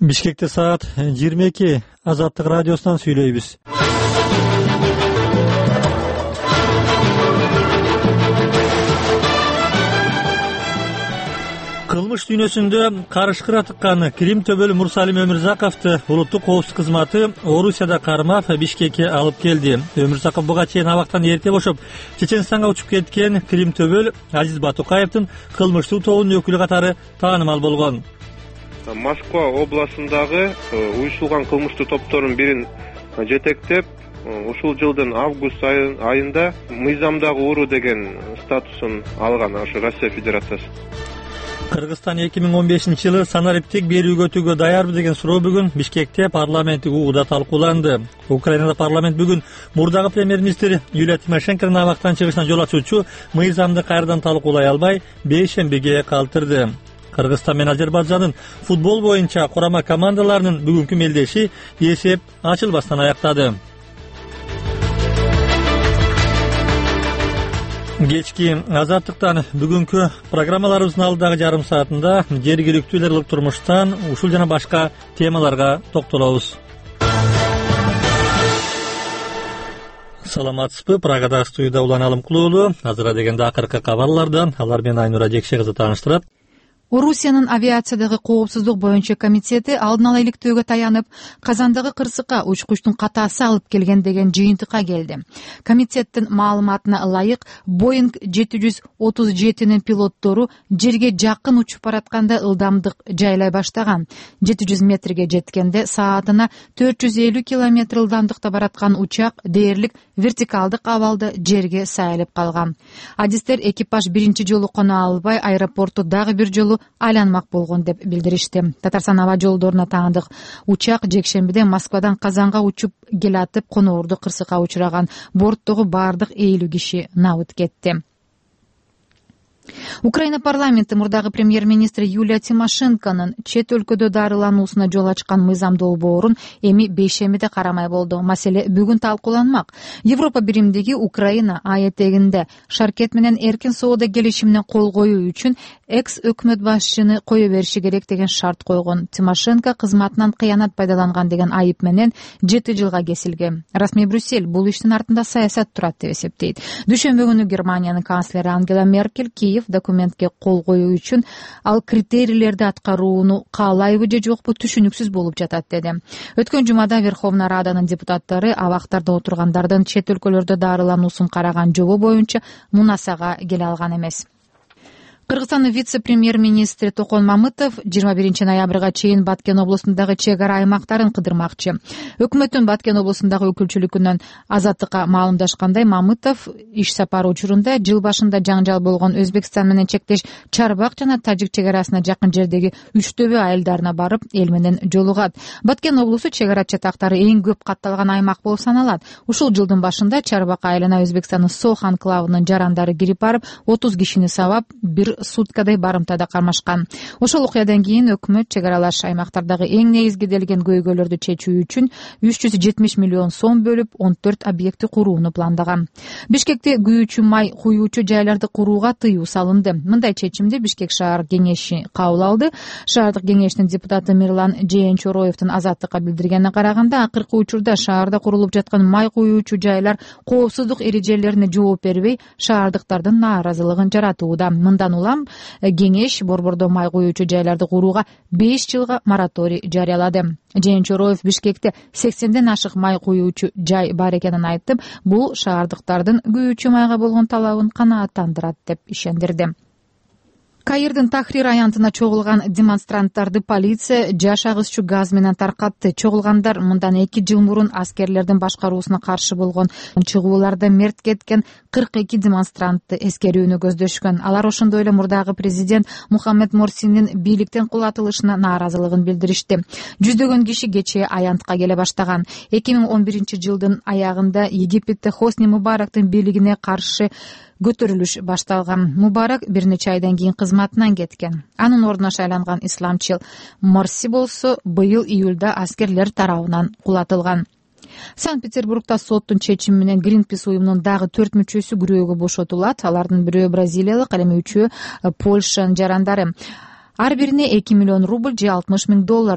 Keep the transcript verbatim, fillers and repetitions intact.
Бишкекте саат жыйырма эки. Азаттык радиосунан сүйлөйбүз. Кылмыш дүйнөсүндө карышкыра тыккан Крим төбөлү Мурсалим Өмүрзаковду улуттук коопсуздук кызматы Орусияда кармап Бишкекке алып келди. Өмүрзаков буга чейин абактан эрте бошоп, Чеченстанга учуп кеткен Крим төбөл Азиз Батукаевдин кылмыштуу тобунун өкүлү катары таанымал болгон. Москва областындагы уюштурулган кылмыштуу топтордун бирин жетектеп, ушул жылдын август айында мыйзамдагы уруу деген статусун алган ошо Россия Федерациясы. Кыргызстан эки миң он бешинчи жылы санариптик берүүгө өтүүгө даярбы деген суроо бүгүн Бишкекте парламенттик угууда талкууланды. Украинада парламент бүгүн мурдагы премьер-министр Юлия Тимошенконун абактан чыгышына жол ачуучу мыйзамды кайрадан талкуулай албай, бейшембиге калтырды. Кыргызстан менен Азербайжандын футбол боюнча курама командаларынын бүгүнкү мелдеши эсеп ачылбастан аяктады. Кечки Азаттыктан бүгүнкү программаларыбыздын алдыдагы жарым саатында жергиликтүүлөр ылык турмуштан ушул жана башка темаларга токтолобуз. Саламатсызбы? Прагада студияда Улан Алымкулуулу. Азыра дегенде акыркы кабарлардан алар менен Айнура Жекше кызы тааныштырат. Орусиянын авиациядагы коопсуздук боюнча комитети алдын ала иликтөөгө таянып, Казандагы кырсыкка учкучтун катаасы алып келген деген жыйынтыкка келди. Комитеттин маалыматына ылайык, Боинг жети жүз отуз жетинин пилоттору жерге жакын учуп баратканда ылдамдык жайлай баштаган. жети жүз метрге жеткенде саатына төрт жүз элүү километр ылдамдыкта бараткан учак дээрлик вертикалдык абалда жерге сайылып калган. Адистер экипаж биринчи жолу кона албай, аэропорту дагы бир жолу айланмак болгон деп билдиришти. Татарстан аба жолдоруна таандык учак жекшембиде Москвадан Казанга учуп келатып коноорду кырсыкка учураган. Борттогу баардык элүү киши набыт кетти. Украина парламенти мурдагы премьер-министр Юлия Тимошенконун чет өлкөдө дарылануусуна жол ачкан мыйзамдуу борун эми бейшембиде карамай болду. Маселе бүгүн талкууланмак. Европа биримдиги Украина аятегинде шаркет менен эркин соода келишимине кол коюу үчүн экс өкмөт башчыны кое бериши керек деген шарт койгон. Тимошенко кызматынан кыянат пайдаланган деген айып менен жети жылга кесилген. Расмий Брюссель бул иштин артында саясат турат деп эсептейт. Дүйшөмбү күнү Германиянын канцлери Ангела Меркель Киев документке кол коюу үчүн ал критерийлерди аткарууну каалайбы же жокпу түшүнүксүз болуп жатат деди. Өткөн жумада Верховная Раданын депутаттары абактарда отургандардын чет өлкөлөрдө дарылануусун караган жобо боюнча мунасага келе алган эмес. Кыргызстандын вице-премьер-министри Токон Мамытов жыйырма биринчи ноябрга чейин Баткен облусундагы чек ара аймактарын кыдырмакчы. Өкмөттүн Баткен облусундагы өкүлчүлүгүнөн Азаттыкка маалымдашкандай, Мамытов иш сапары учурунда жыл башында жаңжал болгон Өзбекстан менен чектеш Чарбак жана Тажик чек арасына жакын жердеги Үчтөбө айылдарына барып, эл менен жолугат. Баткен облусу чек ара чатактары эң көп катталган аймак болуп саналат. Ушул жылдын башында Чарбак айылына Өзбекстандын Сох анклавынын жарандары кирип барып, отуз кишини сабап, бир суткадай барымтада кармашкан. Ошол окуядан кийин өкмөт чек аралаш аймактардагы эң негизгиделген көйгөйлөрдү чечүү үчүн үч жүз жетимиш миллион сом бөлүп, он төрт объекти курууну пландаган. Бишкекте күйүүчү май куюучу жайларды курууга тыюу салынды. Мындай чечимди Бишкек шаар кеңеши кабыл алды. Шаардык кеңештин депутаты Мирлан Жээнчороевдин Азаттыкка билдиргенине караганда, акыркы учурда шаарда курулуп жаткан май куюучу жайлар коопсуздук эрежелерине жооп бербей, шаардыктардын нааразылыгын жаратууда. Мындан кеңеш борбордо май куюучу жайларды курууга беш жылга мораторий жарыялады. Жээнчороев Бишкекте сексенден ашык май куюучу жай бар экенин айтып, бул шаардыктардын күйүүчү майга болгон талабын канааттандырат деп ишендирди. Каирдин Тахрир аянтына чогулган демонстранттарды полиция жаш агызчу газ менен таркатты. Чогулгандар мындан эки жыл мурун аскерлердин башкаруусуна каршы болгон чыгууларда мерт кеткен кырк эки демонстрантты эскерүүнү көздөшкөн. Алар ошондой эле мурдагы президент Мухаммед Морсинин бийликтен кулатылышына нааразылыгын билдиришти. Жүздөгөн киши кечээ аянтка келе баштаган. эки миң он биринчи жылдын аягында Египетте Хосни Мубарактын бийлигине каршы көтөрүлүш башталган. Мубарак бир нече айдан кийин кызматынан кеткен. Анын ордуна шайланган исламчыл Морси болсо быйыл июлда аскерлер тарабынан кулатылган. Санкт-Петербургда соттун чечими менен Greenpeace уюмунун дагы төрт мүчөсү күрөөгө бошотулат. Алардын бирөө бразилиялык, ал эми үчөө Польшанын жарандары. Ар бирине эки миллион рубль же алтымыш миң доллар